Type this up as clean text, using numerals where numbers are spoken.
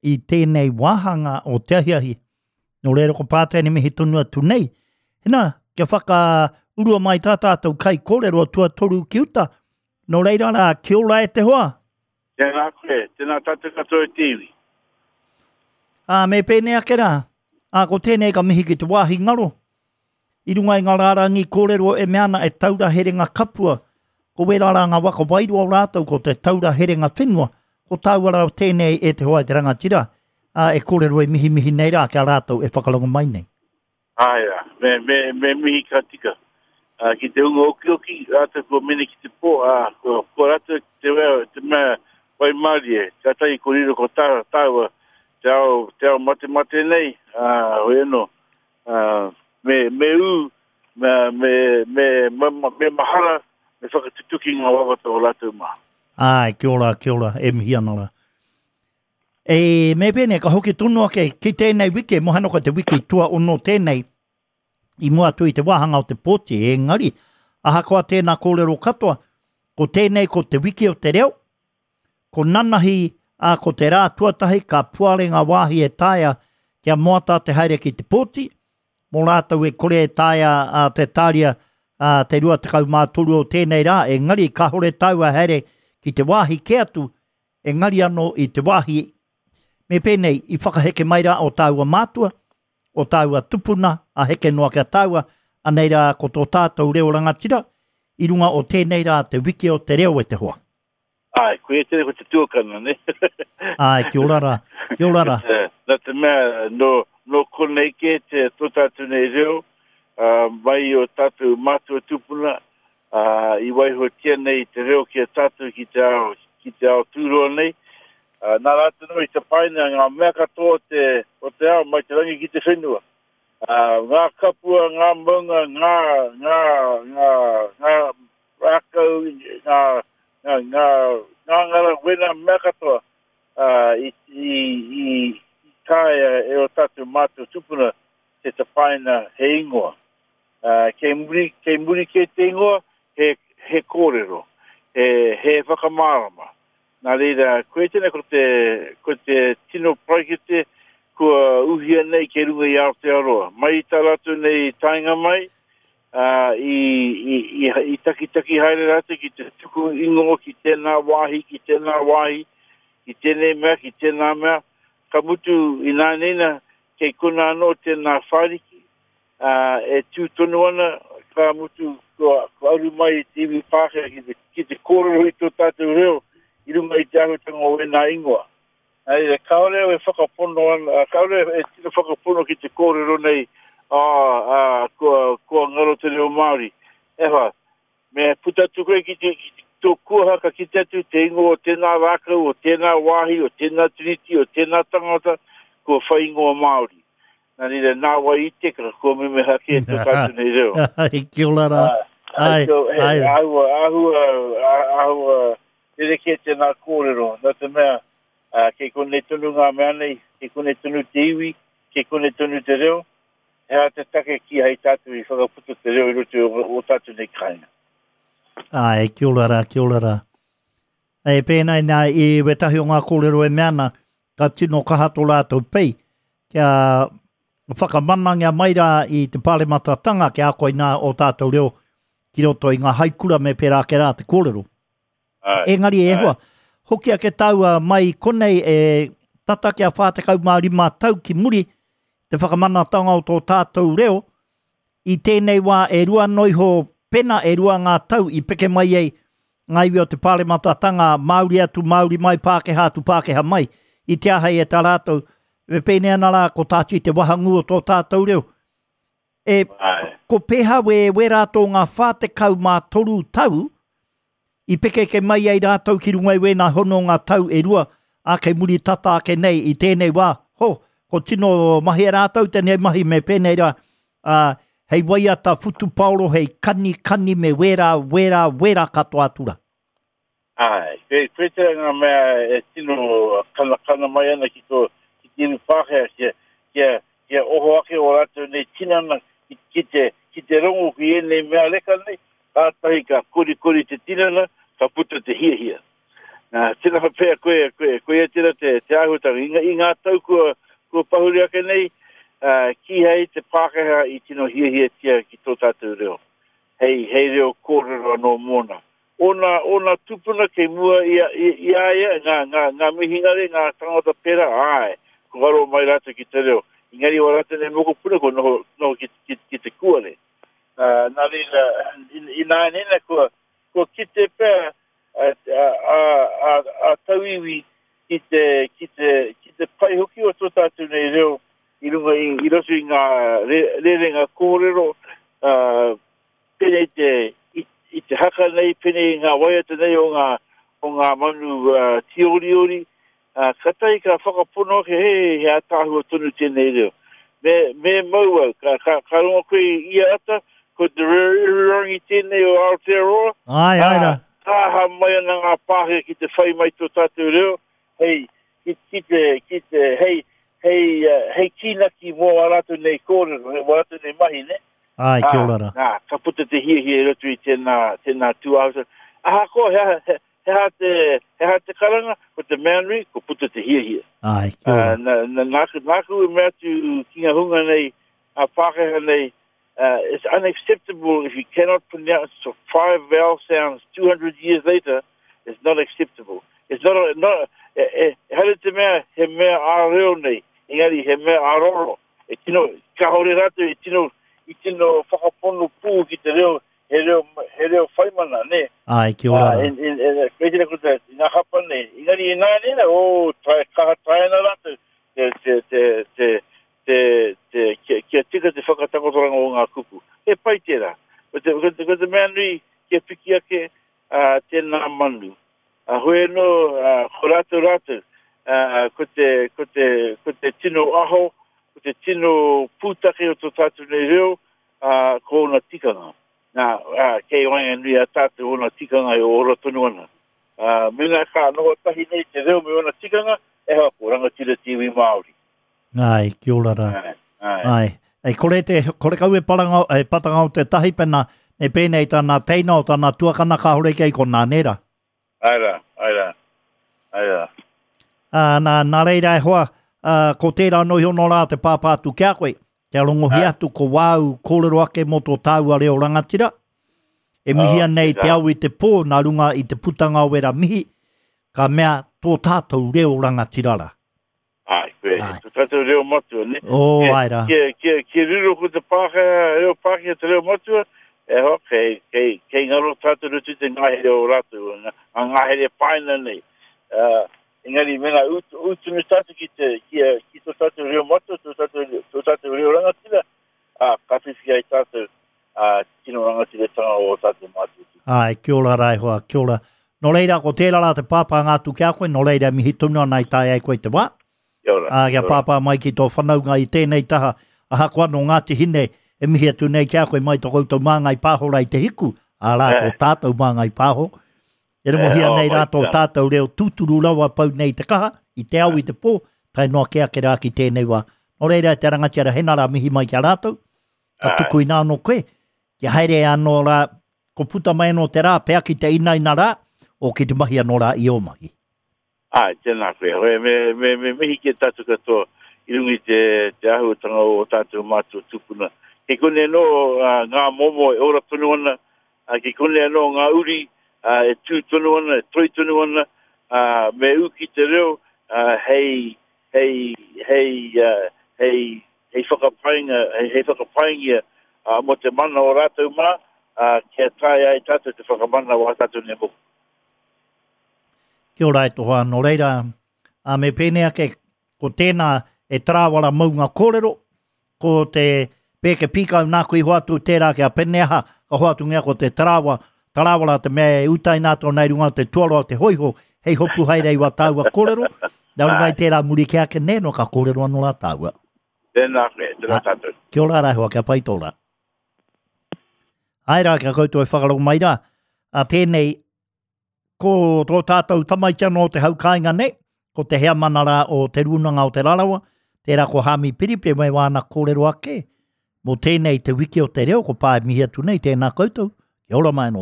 I tēnei wāhanga o te ahiahi. Nō reira ko Pātene mihi tonu atu nei. Hena, kia whakaurua mai tā tātou kai kōrero tuatoru ki uta. Nō reira rā, kia ora e te hoa. Tēnā koe, tēnā tātou katoa e te iwi. Ā, me pēnei ake rā. Ā, ko tēnei ka mihi ki te wāhi ngaro. I runga i ngā rārangi kōrero e mea ana e taura herenga kapua, ko wērā rā ngā waka wairua o rātou ko te taura herenga whenua, ko tāua rā tēnei e te hoa e te rangatira, ā, e kōrero e mihimihi nei rā ki a rātou e whakarongo mai nei. Āe rā, me, me, me mihi ka tika. Ā, ki te hunga okioki, rātou kua mene ki te pō, ā, kua, kua rātou te, te mea waimarie, kātahi ko riro ko tā, tāua te ao, te ao matemate nei, ā, hoi anō, ā, me, me ū, me, me, me, me, me mahara, me whakatutuki ngā wawata o rātou mā. Āe, kia ora, kia ora, e mihi ana rā. E, me pēnei, ka hoki tonu ake ki tēnei wiki, mohano ko te wiki tuaono tēnei, i mua atu i te wāhanga o te pōti, engari, ahakoa tēnā kōrero katoa, ko tēnei ko te wiki o te reo, ko nanahi, ā, ko te rā tuatahi ka puare ngā wāhi e taea kia moata te haere ki te pōti, mō rātou e kore e taea a, te tāria a, te 23 o tēnei rā, engari kāore tāua haere ki te wāhi kē atu, engari anō i te wāhi me pēnei i whakaheke mai rā o tāua mātua, o tāua tupuna, a heke noa ki a tāua, anei rā ko tō tātou reo rangatira, i runga o tēnei rā te wiki o te reo e te hoa. Āe, koia tēnei ko te tuakana, ne? Āe, kia ora rā, kia ora rā. Nā te mea, nō, nō konei kē te tō tātou nei reo, uh, mai o tātou mātua tūpuna, uh, i waihotia nei te reo ki a tātou ki te ao, ki te ao tūroa nei. Uh, nā rātou nō i tapaina ngā mea katoa o te, o te ao mai te rangi ki te whenua. Uh, ngā kapua, ngā maunga, ngā, ngā, ngā, ngā rākau, ngā, ngā, ngā ngāngara wena mea katoa uh, i, i, i, i taea e o tātou mātua tupuna te tapaina he ingoa. Uh, kei muri, kei muri kē te ingoa, he, he kōrero, he, he whakamārama. Nā reira, koe tēnei ko te, ko te tino paraikete kua uhia nei kei runga i Aotearoa. Mai i tā rātou nei taenga mai, ā, i, i, i, i takitaki haere rātou ki te tuku ingoa ki tēnā wāhi, ki tēnā wāhi, ki tēnei mea, ki tēnā mea. Ka mutu ināianei nā, kei konā anō tēnā whāriki, ā, e tū tonu ana, ka mutu kua, kua aru mai te iwi Pākehā ki te, ki te kōrero i tō tātou reo i runga i te āhuatanga o ēnā ingoa. Nā reira, kāore au e whakapono ana, kāore e tino whakapono ki te kōrero nei, ā, ā, kua, kua ngaro te reo Māori. E hoa, me puta atu koe ki te, ki tō kuaha ka kite atu te ingoa o tēnā rākau, o tēnā wāhi, o tēnā tiriti, o tēnā tangata, kua whai ingoa Māori. Nā reira, nā wai i teka, kua memeha kē tō tātou nei reo. Ai, kia ora rā. Ai, ai. Āhua, āhua, āhua, rerekē tēnā kōrero, nā te mea, ā, kei konei tonu ngā mea nei, kei konei tonu te iwi, kei konei tonu te reo, he aha te take kīhai tātou i whakaputa te reo i roto i ō tātou nei kāinga. Āe, kia ora rā, kia ora rā. E pēnei nā i wētahi o ngā kōrero e mea ana, ka tino kaha tō rātou pei kia whakamanangia mai rā i te pārematatanga kia ako i nā o tātou reo ki roto i ngā haikura me pērā ake rā te kōrero. Ai, Engari e ai. hoa, hoki ake tāua mai konei e tata kia 45 tau ki muri te whakamanatanga o tō tātou reo, i tēnei wā e rua noa iho pena e rua ngā tau i peke mai ai ngā iwi o te pārematatanga Māori atu, Māori mai, Pākehā atu, Pākehā mai, i te āhei e tā rātou, e pēnei ana rā ko tāti te wahangū o tō tātou reo. E, ko pēhā we, wērā tō ngā 43 tau, i pekeke mai ai rātou ki runga i wēnā hononga tau e rua, ā, kei muri tata ake nei i tēnei wā, ho, ko tino mahi e rātou tēnei mahi me pēnei rā, ā, hei waiata whutupaoro, hei kanikani me wērā, wērā, wērā katoa atu rā. Āe, koe, koe tērā ngā mea e tino kanakana mai ana ki tō, ki te iwi Pākehā, kia, kia, kia oho ake ō rātou nei tinana ki, ki te, ki te rongo ki ēnei mea reka nei, kātahi ka korikori te tinana, ka puta te hiahia. Nā, tēnā pea koe, koe, koia tērā te, te āhua. āhuatanga. I, i ngā tau kua, kua pahure ake nei, uh, kīhai te Pākehā i tino hiahiatia ki tō tātou reo. Hei, hei reo kōrero anō mōna. Ōna, ōna tūpuna kei mua i a, i, i a ia, ngā, ngā, ngā mihingare, ngā tangata pērā, āe, kua aro mai rātou ki te reo. Engari wā rātou nei mokopuna kua noho, noho ki, ki, ki te kuare. Uh, nā reira, ināianei nā, kua, kua kite pea a, a, a, a, a tauiwi ki te, ki te, ki te pai hoki o tō tātou nei reo i runga i, i roto i ngā re, rerenga kōrero, uh, Pēnei te, i, i te haka nei, pēnei i ngā waiata nei o ngā, o ngā manu uh, tīoriori, uh, katahi ka whakapono ake, he, he ātaahua tonu tēnei reo. Me, me mau au, ka, ka, ka rongo koe i ia ata, ko te reo ihirangi tēnei o Aotearoa, Ai, ai rā. Tāha mai ana ngā Pākehā ki te whai mai tō tātou reo, hei, ki, ki te, ki te, hei, hei, hei kīnaki mō ā rātou nei kōrero, mō ā rātou nei mahi, ne? Āe, kia ora rā. Nā, ka puta te hiahia i roto i tēnā, tēnā tūāhuatanga. Ahakoa, he aha, he, he aha te, he aha te karanga, ko te mea nui, ko puta te hiahia. Āe, kia ora. Uh, na, na, nāku, nāku i mea atu ki ngā hunga nei, a Pākehā nei, uh, it's unacceptable if you cannot pronounce five vowel sounds 200 years later, it's not acceptable. It's not, a, not e, e, ehara te mea he mea ā-reo nei, engari he mea ā-roro. E tino, kāore rātou i tino, i tino whakapono pū ki te reo, he reo, he reo whaimana, nē? Āe, kia ora rā. Ā, in, in, in, koe tēnā ko te, ngā hapa nei. Engari ināianei nā, oh, tae, kaha tae ana rātou, te, te, te, te, te, te, kia, kia tika te whakatakotoranga o ngā kupu. He pai tērā. Ko te, ko te, ko te mea nui, kia piki ake, ā, tēnā manu. Ā, hoi anō, ā, ko rātou rātou, ā, ko te, ko te, ko te tino aho, ko te tino pūtake o tō tātou nei reo, ā, ko ōna tikanga. Nā, ā, kei waenganui i a tātou ōna tikanga e ora tonu ana. Ā, mēnā ka noho tahi nei te reo me ōna tikanga, e hoa, ko rangatira te iwi Māori. Āe, kia ora rā. Āe, āe. Āe. Ei kore te, kore kau e paranga, e patanga o te tahi pena, me pēnei tana teina o tana tuakana kāore kei konā, nē rā? Āe rā, āe rā, āe rā. Ā, nā, nā reira e hoa, ā, ko tērā anō iho nō rā te pāpā atu ki a koe, kia rongohia atu ko wāu kōrero ake mō tō tāua reo rangatira, e mihia nei te ao i te pō nā runga i te putanga o wera mihi, ka mea tō tātou reo rangatira rā. Ai, koe, ai. To tātou reo matua, ne? Oh, ai rā. Kia, kia, kia riro ko te Pākehā, reo Pākehā te reo matua, e hoa, kei, kei, kei ngaro tātou rutu te ngahere o rātou, ngā, ngā ngahere paina nei. Uh, engari, mēnā ū, ū tonu tātou ki te, ki, ki tō tātou reo matua, tō tātou, tō tātou reo rangatira, ā, ka whiwhi ai tātou, ā, tino rangatiratanga o ō tātou mātua tūpuna. Āe, kia ora rā e hoa, kia ora. Nō reira, ko tērā rā te pāpānga atu ki a koe, nō reira e mihi tonu ana i tae ai koe te wā. Kia ora. Ā, kia pāpā mai ki tō whanaunga i tēnei taha, ahakoa nō Ngāti Hine, e mihi atu nei ki a koe mai tō koutou māngai pāho rā i te hiku, arā, tō tātou māngai pāho. E rongohia nei rā tō tātou reo tūturu rawa pau nei te kaha, i te ao i te pō, tae noa kē ake rā ki tēnei wā. Nō reira, e te rangatira, hena rā mihi mai ki a rātou, ka tuku inā anō koe, kia haere anō rā, ko puta mai anō te rā, pea ki te inaina rā, o ki te mahi anō rā i ō mahi. Āe, tēnā koe. Hoi, me, me, me mihi ki a tātou katoa i runga i te, te āhuatanga o ō tātou mātua tūpuna. Kei konei anō uh, ngā momo e ora tonu ana, uh, kei konei anō ngā uri uh, e tū tonu ana, e toi tonu ana, uh, me ū ki te reo uh, hei, hei, hei, uh, hei, hei whakapainga, hei, hei whakapaingia uh, mō te mana o rātou mā, uh, kia taea ai tātou te whakamana o ā tātou nei mokopuna. Kia ora e toha, nō reira, ā, me pēnei ake, ko tēnā e tarāwara maunga kōrero, ko te pēke pīkau nāku i hoatu tērā ki a Peneaha, ka hoatungia ko te tarāwa, tarāwara te mea e utaina atu ana i runga o te tuaroa o te hōiho, hei hopu haere i wā tāua kōrero, nā runga i tērā muri kē ake nē, nō ka kōrero anō rā tāua. Tēnā koe, tēnā tātou. Kia ora rā e hoa, kia pai tō rā. Āe rā, kia koutou e whakarongo mai rā, ā tēnei, Ko tō tātou tamaiti anō o te hau kāinga nei, ko te heamana rā o Te Rūnanga o Te Rarawa, tērā ko Hāmi Piripi me wāna kōrero ake mō tēnei te wiki o te reo, ko Pā e mihi atu nei, tēnā koutou, kia ora mai anō.